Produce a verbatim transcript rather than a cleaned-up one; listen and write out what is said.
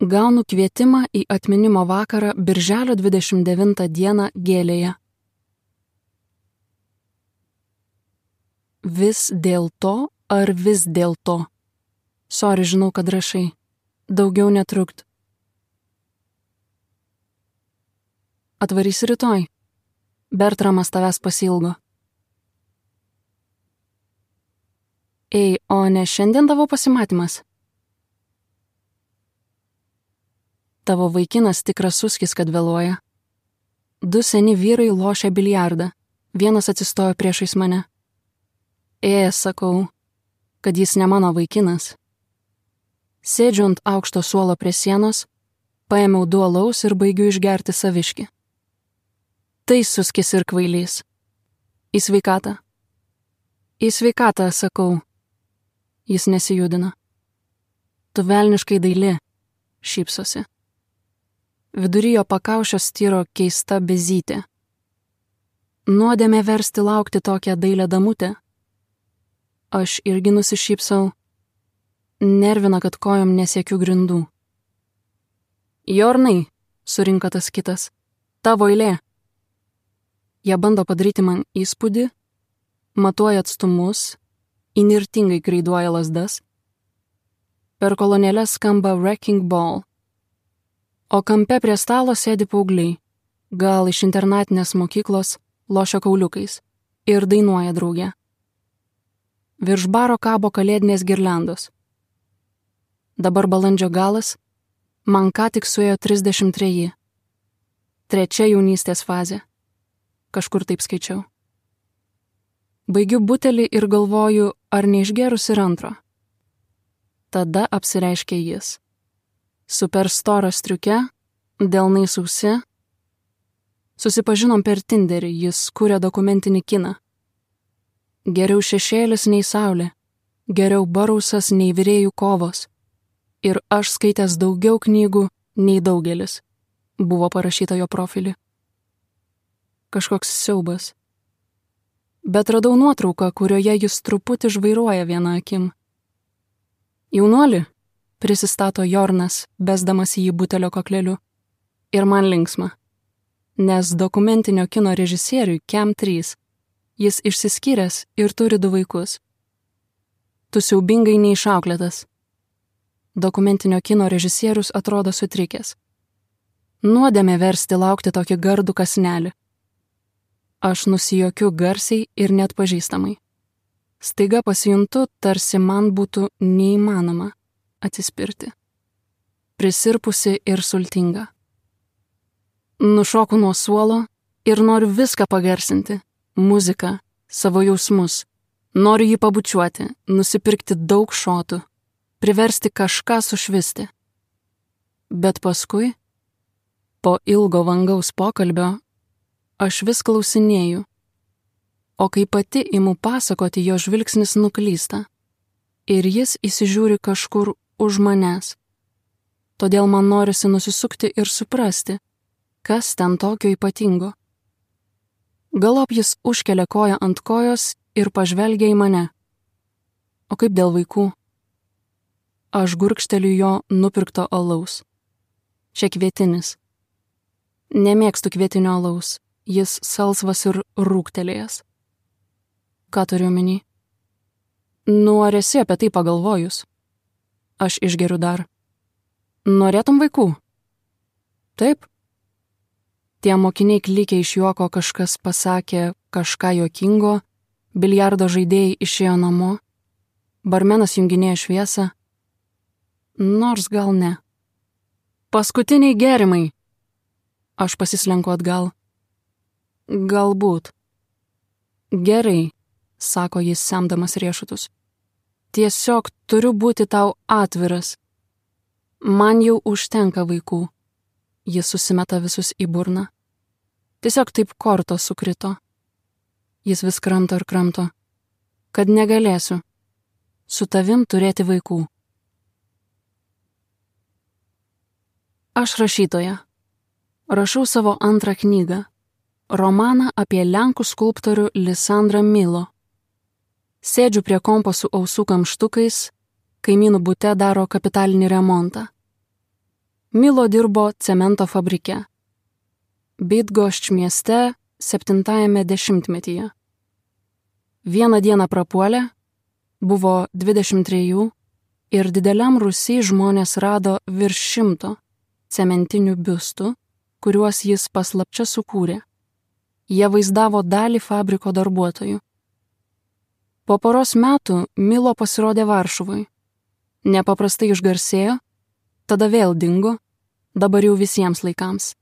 Gaunu kvietimą į atminimo vakarą birželio dvidešimt devintą dieną Gėlėje. Vis dėl to ar vis dėl to? Sorry, žinau, kad rašai. Daugiau netrukt. Atvarysi rytoj. Bertramas tavęs pasilgo. Ei, o ne šiandien tavo pasimatymas? Tavo vaikinas tikras suskis, kad vėluoja. Du seni vyrai lošia biliardą. Vienas atsistojo priešais mane. Ė, sakau, kad jis ne mano vaikinas. Sėdžiu ant aukšto suolo prie sienos, paėmiau du alaus ir baigiu išgerti saviškį. Tai suskis ir kvailys. Į sveikatą. Į sveikatą, sakau. Jis nesijudina. Tu velniškai daili, šypsosi. Vidury jo pakaušio styro keista bezytė. Nuodėmė versti laukti tokią dailią damutę. Aš irgi nusišypsau. Nervina, kad kojom nesiekiu grindų. Jornai, surinka tas kitas, tavo eilė. Jie bando padaryti man įspūdį, matuoja atstumus, įnirtingai kreiduoja lazdas. Per kolonėlę skamba Wrecking Ball. O kampe prie stalo sėdi paaugliai, gal iš internatinės mokyklos, lošia kauliukais ir dainuoja drauge. Virš baro kabo kalėdinės girliandos. Dabar balandžio galas, man ką tik suėjo trisdešimt treji. Trečia jaunystės fazė. Kažkur taip skaičiau. Baigiu butelį ir galvoju, ar neišgerus ir antro. Tada apsireiškia jis. Superstorą striuke, delnai sausi. Susipažinom per Tinderį, jis kūrė dokumentinį kiną. Geriau šešėlis nei saulė, geriau barausas nei virėjų kovos. Ir aš skaitęs daugiau knygų nei daugelis, buvo parašyta jo profilį. Kažkoks siaubas. Bet radau nuotrauką, kurioje jis truputį žvairuoja vieną akim. Jaunuoli, prisistato Jornas, besdamas jį butelio kokleliu. Ir man linksma. Nes dokumentinio kino režisieriui Kem trys. Jis išsiskyręs ir turi du vaikus. Tu siaubingai neišauklėtas. Dokumentinio kino režisierius atrodo sutrikęs. Nuodėmė versti laukti tokį gardų kasnelį. Aš nusijuokiu garsiai ir net pažįstamai. Staiga pasijuntu, tarsi man būtų neįmanoma atsispirti. Prisirpusi ir sultinga. Nušoku nuo suolo ir noriu viską pagarsinti. Muziką, savo jausmus. Noriu jį pabučiuoti, nusipirkti daug šotų, priversti kažką sušvisti. Bet paskui, po ilgo vangaus pokalbio, aš vis klausinėju. O kai pati imu pasakoti, jo žvilgsnis nuklysta. Ir jis įsižiūri kažkur už manęs. Todėl man norisi nusisukti ir suprasti, kas ten tokio ypatingo. Galop jis užkelia koją ant kojos ir pažvelgia į mane. O kaip dėl vaikų? Aš gurkšteliu jo nupirkto alaus. Čia kvietinis. Nemėgstu kvietinio alaus. Jis salsvas ir rūgtelėjęs. Ką turiu omeny? Nu, ar esi apie tai pagalvojus? Aš išgeriu dar. Norėtum vaikų? Taip. Tie mokiniai klykia iš juoko, kažkas pasakė kažką juokingo, biliardo žaidėjai išėjo namo, barmenas junginėja šviesą. Nors gal ne. Paskutiniai gėrimai. Aš pasislenku atgal. Galbūt. Gerai, sako jis semdamas riešutus. Tiesiog turiu būti tau atviras. Man jau užtenka vaikų. Jis susimeta visus į burną. Tiesiog taip kortos sukrito. Jis vis kramto ir kramto. Kad negalėsiu. Su tavim turėti vaikų. Aš rašytoja. Rašau savo antrą knygą. Romaną apie lenkų skulptorių Lisandrą Milo. Sėdžiu prie kompo su ausų kamštukais, kaimynų bute daro kapitalinį remontą. Milo dirbo cemento fabrike. Bydgošč mieste septintajame dešimtmetyje. Vieną dieną prapuolė, buvo dvidešimt trejų ir dideliam rūsy žmonės rado virš šimto cementinių biustų, kuriuos jis paslapčia sukūrė. Jie vaizdavo dalį fabriko darbuotojų. Po poros metų Milo pasirodė Varšuvai. Nepaprastai išgarsėjo, tada vėl dingo, dabar jau visiems laikams.